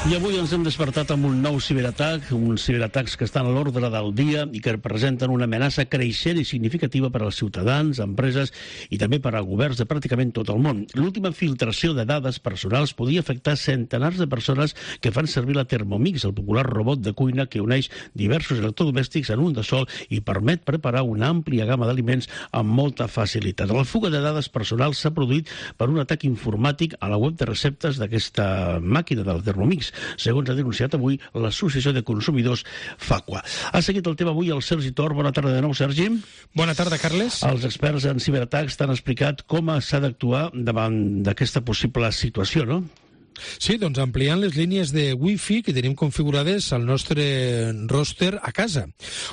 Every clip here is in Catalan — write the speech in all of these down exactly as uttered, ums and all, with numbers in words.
I avui ens hem despertat amb un nou ciberatac, uns ciberatacs que estan a l'ordre del dia i que representen una amenaça creixent i significativa per als ciutadans, empreses i també per a governs de pràcticament tot el món. L'última filtració de dades personals podia afectar centenars de persones que fan servir la Thermomix, el popular robot de cuina que uneix diversos electrodomèstics en un de sol i permet preparar una àmplia gamma d'aliments amb molta facilitat. La fuga de dades personals s'ha produït per un atac informàtic a la web de receptes d'aquesta màquina de la Thermomix, segons ha denunciat avui l'Associació de Consumidors FACUA. Ha seguit el tema avui el Sergi Tor. Bona tarda de nou, Sergi. Bona tarda, Carles. Els experts en ciberatacs t'han explicat com s'ha d'actuar davant d'aquesta possible situació, no? Sí, doncs ampliant les línies de Wi-Fi que tenim configurades al nostre roster a casa.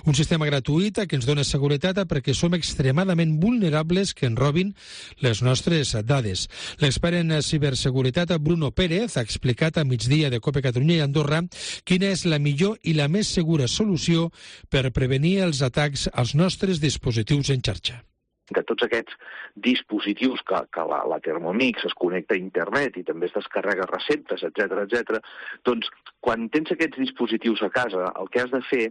Un sistema gratuït que ens dona seguretat perquè som extremadament vulnerables que ens robin les nostres dades. L'expert en ciberseguretat Bruno Pérez ha explicat a migdia de COPE Catalunya i Andorra quina és la millor i la més segura solució per prevenir els atacs als nostres dispositius en xarxa. Que tots aquests dispositius que, que la, la Thermomix es connecta a internet i també es descarrega receptes, etcètera, etcètera, doncs quan tens aquests dispositius a casa, el que has de fer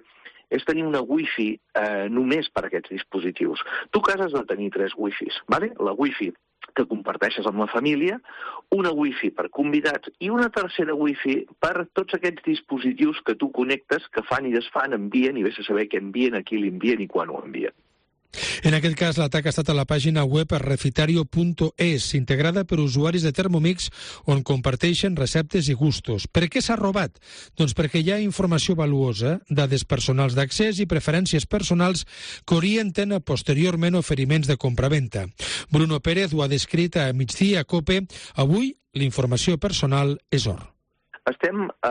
és tenir una wifi eh, només per a aquests dispositius. Tu a casa has de tenir tres wifis, ¿vale? La wifi que comparteixes amb la família, una wifi per convidats i una tercera wifi per tots aquests dispositius que tu connectes, que fan i desfan, envien i vés a saber què envien, a qui l'envien i quan ho envien. En aquest cas, l'atac ha estat a la pàgina web refitario punt es, integrada per usuaris de Thermomix, on comparteixen receptes i gustos. Per què s'ha robat? Doncs perquè hi ha informació valuosa, dades personals d'accés i preferències personals que orienten posteriorment oferiments de compraventa. Bruno Pérez ho ha descrit a migdia a COPE. Avui, la informació personal és or. Estem eh,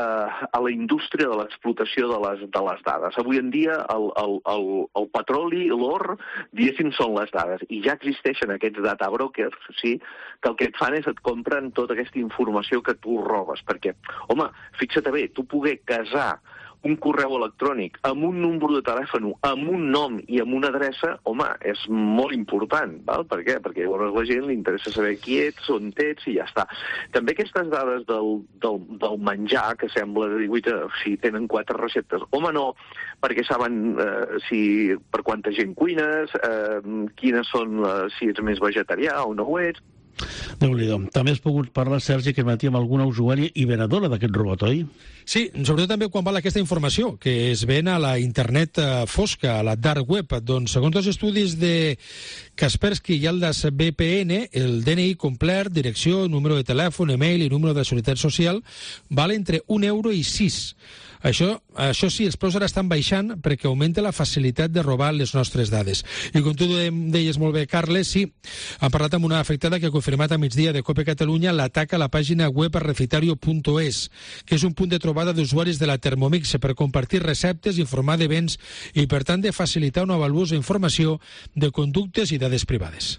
a la indústria de l'explotació de les, de les dades. Avui en dia el, el, el, el petroli, l'or, diguéssim, són les dades. I ja existeixen aquests data brokers, sí, que el que et fan és et compren tota aquesta informació que tu robes. Perquè, home, fixa't bé, tu poder casar un correu electrònic amb un número de telèfon, amb un nom i amb una adreça, home, és molt important, val? Per què? Perquè llavors a la gent li interessa saber qui ets, on ets i ja està. També aquestes dades del, del, del menjar, que sembla de dir, si tenen quatre receptes, home, no, perquè saben eh, si per quanta gent cuines, eh, quines són, eh, si ets més vegetarià o no ho ets. Déu-n'hi-do. També has pogut parlar, Sergi, que matí amb alguna usuària i venedora d'aquest robot, oi? Sí, sobretot també quan val aquesta informació, que es ven a la internet fosca, a la dark web. Doncs, segons els estudis de Kaspersky i Aldas V P N, el D N I complet, direcció, número de telèfon, email i número de seguretat social, val entre un euro i sis. Això, això sí, els preus ara estan baixant perquè augmenta la facilitat de robar les nostres dades. I com tu deies molt bé, Carles, sí, hem parlat amb una afectada que ha confirmat a migdia de COPE Catalunya l'atac a la pàgina web refitario punt es, que és un punt de trobada d'usuaris de la Thermomix per compartir receptes, informar de béns i, per tant, de facilitar una valuosa informació de conductes i dades privades.